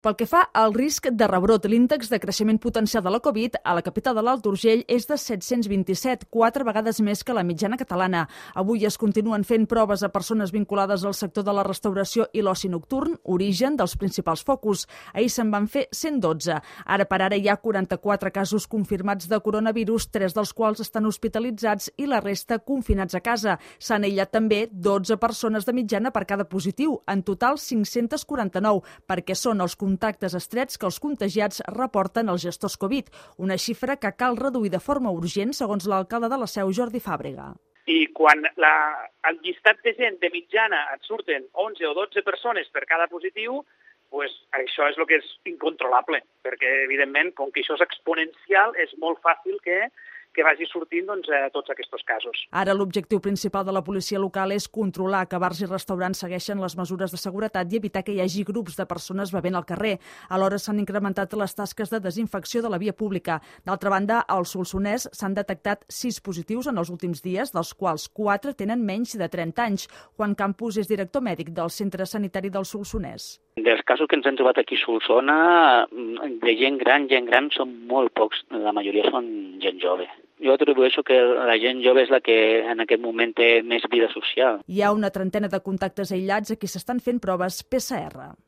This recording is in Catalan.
Pel que fa al risc de rebrot, l'índex de creixement potencial de la Covid a la capital de l'Alt Urgell és de 727, 4 vegades més que la mitjana catalana. Avui es continuen fent proves a persones vinculades al sector de la restauració i l'oci nocturn, origen dels principals focus. Ahir se'n van fer 112. Ara per ara hi ha 44 casos confirmats de coronavirus, 3 dels quals estan hospitalitzats i la resta confinats a casa. S'han aïllat també 12 persones de mitjana per cada positiu, en total 549, perquè són els contactes estrets que els contagiats reporten als gestors Covid, una xifra que cal reduir de forma urgent, segons l'alcalde de la Seu, Jordi Fàbrega. I quan el llistat de gent de mitjana et surten 11 o 12 persones per cada positiu, pues això és el que és incontrolable, perquè evidentment, com que això és exponencial, és molt fàcil que vagi sortint tots aquests casos. Ara l'objectiu principal de la policia local és controlar que bars i restaurants segueixen les mesures de seguretat i evitar que hi hagi grups de persones bevent al carrer. Alhora s'han incrementat les tasques de desinfecció de la via pública. D'altra banda, al Solsonès s'han detectat 6 positius en els últims dies, dels quals 4 tenen menys de 30 anys. Juan Campos és director mèdic del Centre Sanitari del Solsonès. Dels casos que ens han trobat aquí a Solsona, de gent gran són molt pocs, la majoria són gent jove. Jo atribueixo que la gent jove és la que en aquest moment té més vida social. Hi ha una trentena de contactes aïllats a qui s'estan fent proves PCR.